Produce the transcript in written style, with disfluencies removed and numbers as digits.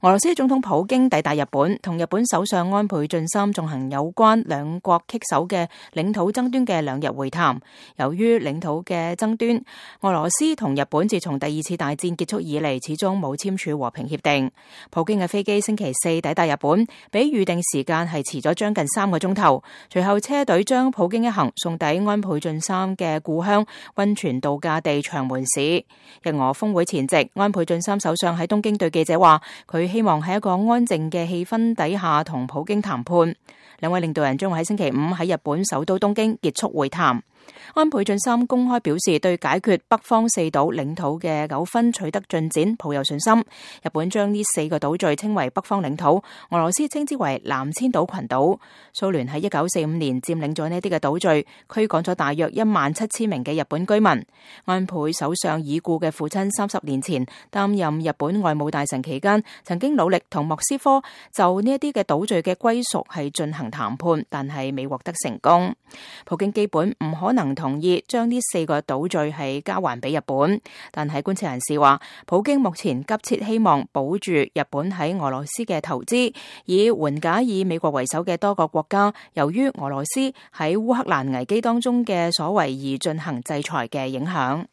俄羅斯總統普京抵達日本，同日本首相安倍晉三進行有關兩國棘手嘅領土爭端嘅2日會談。由於領土嘅爭端，俄羅斯同日本自從第2次大戰結束以嚟，始終冇簽署和平協定。普京嘅飛機星期4抵達日本，比預定時間係遲咗將近3個鐘頭。隨後車隊將普京一行送抵安倍晉三嘅故鄉溫泉度假地長門市。日俄峰會前夕，安倍晉三首相喺東京對記者話，佢希望喺一個安靜嘅氣氛底下同普京談判。兩位領導人將會喺星期5喺日本首都東京結束會談。安倍晉三公開表示對解決北方4島領土嘅糾紛取得進展抱有信心。日本將呢4個島嶼稱為北方領土，俄羅斯稱之為南千島群島。蘇聯喺1945年佔領咗呢啲嘅島嶼，驅趕咗大約17000名嘅日本居民。安倍首相已故嘅父親30年前擔任日本外務大臣期間，曾經努力同莫斯科就呢一啲嘅島嶼嘅歸屬係進行談判，但係未獲得成功。普京基本唔可能同意將呢4個島嶼係交還俾日本，但係觀察人士話，普京目前急切希望保住日本喺俄羅斯嘅投資，以緩解以美國為首嘅多個國家由於俄羅斯喺烏克蘭危機當中嘅所為而進行制裁嘅影響。